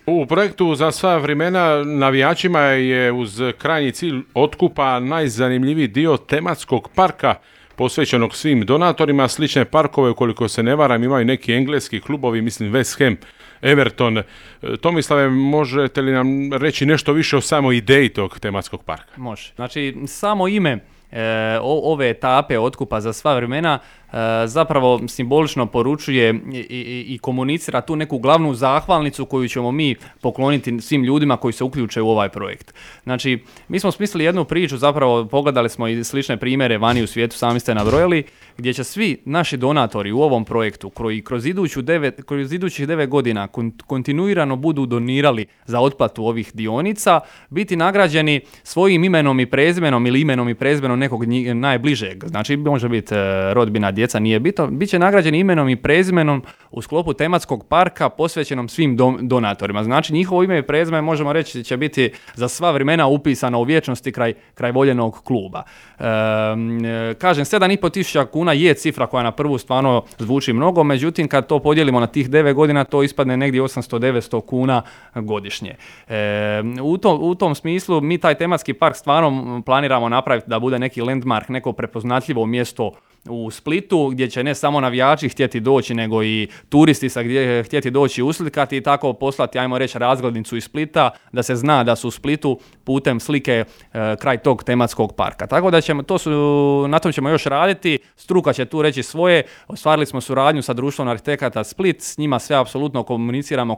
U projektu Za sva vremena navijačima je uz krajnji cilj otkupa najzanimljiviji dio tematskog parka posvećenog svim donatorima. Slične parkove, ukoliko se ne varam, imaju neki engleski klubovi, mislim West Ham, Everton. Tomislave, možete li nam reći nešto više o samoj ideji tog tematskog parka? Može. Znači, samo ime ove etape otkupa za sva vremena zapravo simbolično poručuje i komunicira tu neku glavnu zahvalnicu koju ćemo mi pokloniti svim ljudima koji se uključe u ovaj projekt. Znači, mi smo smislili jednu priču, zapravo pogledali smo i slične primjere vani u svijetu, sami ste nabrojali, gdje će svi naši donatori u ovom projektu koji kroz idućih 9 godina kontinuirano budu donirali za otplatu ovih dionica, biti nagrađeni svojim imenom i prezimenom ili imenom i prezimenom nekog najbližeg. Znači, može biti rodbina, djeca, nije bitno. Biće nagrađeni imenom i prezimenom u sklopu tematskog parka posvećenom svim donatorima. Znači, njihovo ime i prezime, možemo reći, će biti za sva vremena upisano u vječnosti kraj voljenog kluba. Kažem, 7.500 kuna je cifra koja na prvu stvarno zvuči mnogo, međutim, kad to podijelimo na tih 9 godina, to ispadne negdje 800-900 kuna godišnje. U tom smislu, mi taj tematski park stvarno planiramo napraviti da bude neki landmark, neko prepoznatljivo mjesto u Splitu, gdje će ne samo navijači htjeti doći, nego i turisti gdje htjeti doći uslikati i tako poslati, ajmo reći, razglednicu iz Splita, da se zna da su u Splitu putem slike kraj tog tematskog parka. Tako da na tom ćemo još raditi, struka će tu reći svoje, ostvarili smo suradnju sa društvom arhitekata Split, s njima sve apsolutno komuniciramo,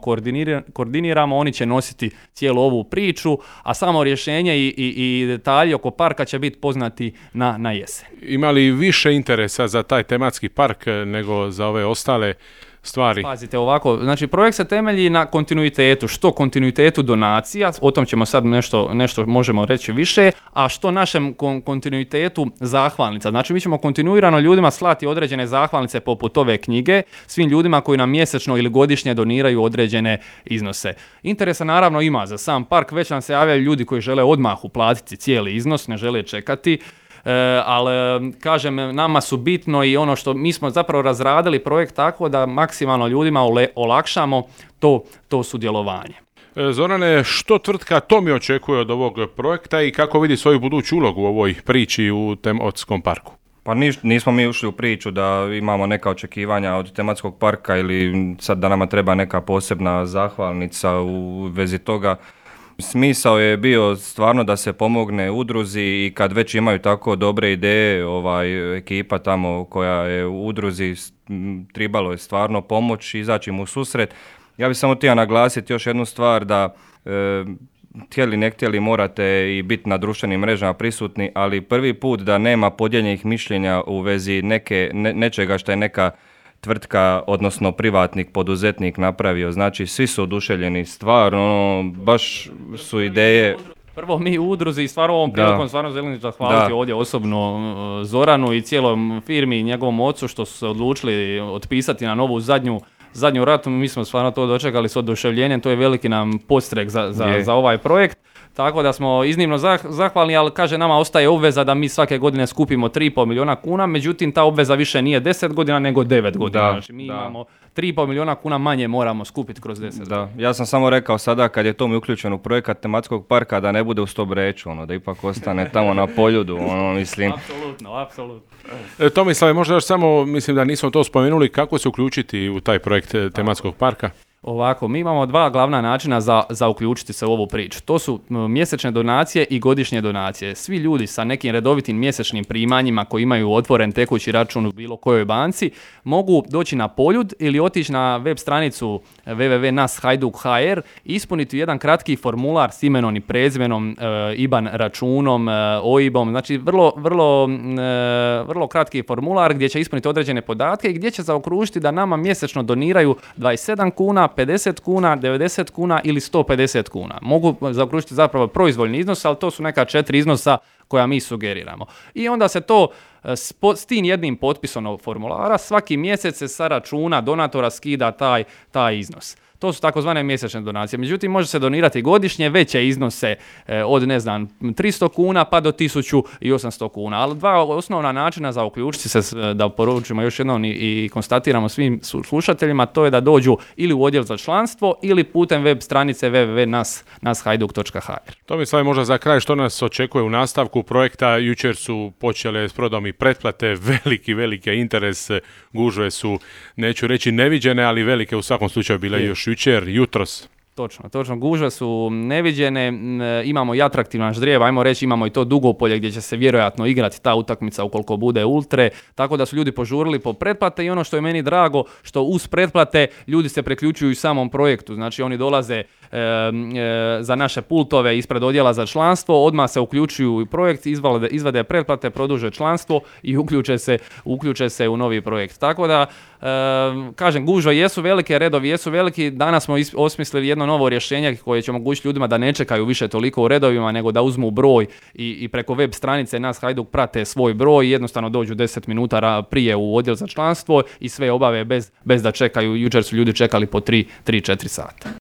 koordiniramo, oni će nositi cijelu ovu priču, a samo rješenje i detalji oko parka će biti poznati na jesen. Ima li više interesa za taj tematski park nego za ove ostale stvari? Pazite ovako, znači projekt se temelji na kontinuitetu, što kontinuitetu donacija, o tom ćemo sad nešto možemo reći više, a što našem kontinuitetu zahvalnica. Znači mi ćemo kontinuirano ljudima slati određene zahvalnice poput ove knjige, svim ljudima koji nam mjesečno ili godišnje doniraju određene iznose. Interesa naravno ima za sam park, već nam se javljaju ljudi koji žele odmah uplatiti cijeli iznos, ne žele čekati. Ali kažem, nama su bitno i ono što mi smo zapravo razradili projekt tako da maksimalno ljudima olakšamo to sudjelovanje. Zorane, što tvrtka Tomi očekuje od ovog projekta i kako vidi svoju buduću ulogu u ovoj priči u tematskom parku? Pa nismo mi ušli u priču da imamo neka očekivanja od tematskog parka ili sad da nama treba neka posebna zahvalnica u vezi toga. Smisao je bio stvarno da se pomogne udruzi i kad već imaju tako dobre ideje, ekipa tamo koja je u udruzi, trebalo je stvarno pomoći, izaći im u susret. Ja bih samo htio naglasiti još jednu stvar da htjeli ne htjeli morate i biti na društvenim mrežama prisutni, ali prvi put da nema podijeljenih mišljenja u vezi nečega što je neka tvrtka, odnosno privatnik, poduzetnik napravio. Znači, svi su oduševljeni, stvarno, baš su ideje. Prvo mi u udruzi i stvarno ovom prilikom stvarno želim zahvaliti ovdje osobno Zoranu i cijelom firmi i njegovom ocu što su se odlučili otpisati na novu zadnju ratu. Mi smo stvarno to dočekali s oduševljenjem, to je veliki nam podstrek za ovaj projekt. Tako da smo iznimno zahvalni, ali kaže nama ostaje obveza da mi svake godine skupimo 3,5 milijuna kuna, međutim ta obveza više nije 10 godina nego 9 godina. Znači mi imamo 3,5 milijuna kuna manje moramo skupiti kroz 10 godina. Ja sam samo rekao sada kad je to mi uključen u projekat tematskog parka da ne bude u Stobreću, da ipak ostane tamo na Poljudu, mislim. Apsolutno. Tomislave, možda još samo, mislim da nismo to spomenuli, kako se uključiti u taj projekt tematskog parka? Ovako, mi imamo dva glavna načina za uključiti se u ovu priču. To su mjesečne donacije i godišnje donacije. Svi ljudi sa nekim redovitim mjesečnim primanjima koji imaju otvoren tekući račun u bilo kojoj banci mogu doći na Poljud ili otići na web stranicu www.nas.hajduk.hr i ispuniti jedan kratki formular s imenom i prezimenom, IBAN računom, OIB-om. Znači vrlo kratki formular gdje će ispuniti određene podatke i gdje će zaokružiti da nama mjesečno doniraju 27 kuna, 50 kuna, 90 kuna ili 150 kuna. Mogu zaokružiti zapravo proizvoljni iznos, ali to su neka 4 iznosa koja mi sugeriramo. I onda se to s tim jednim potpisom formulara svaki mjesec se sa računa donatora skida taj iznos. To su takozvane mjesečne donacije. Međutim, može se donirati godišnje veće iznose od 300 kuna pa do 1800 kuna. Ali dva osnovna načina za uključiti se, da poručimo još jednom i konstatiramo svim slušateljima, to je da dođu ili u odjel za članstvo ili putem web stranice www.nashajduk.hr. Tomislav, možda za kraj što nas očekuje u nastavku projekta. Jučer su počele s prodom i pretplate, veliki interes, gužve su, neću reći neviđene, ali velike u svakom slučaju bile još jučer, jutros. Točno, gužve su neviđene, imamo i atraktivan ždrijeb, ajmo reći, imamo i to Dugopolje gdje će se vjerojatno igrati ta utakmica ukoliko bude ultre, tako da su ljudi požurili po pretplate i ono što je meni drago, što uz pretplate ljudi se priključuju i samom projektu, znači oni dolaze za naše pultove ispred odjela za članstvo, odmah se uključuju u projekt, izvade pretplate, produže članstvo i uključe se u novi projekt. Tako da, kažem, gužve jesu velike, redovi jesu veliki, danas smo osmislili jedno novo rješenje koje će omogućiti ljudima da ne čekaju više toliko u redovima, nego da uzmu broj i preko web stranice Nas Hajduk prate svoj broj i jednostavno dođu 10 minuta prije u odjel za članstvo i sve obave bez da čekaju. Jučer su ljudi čekali po 3-4 sata.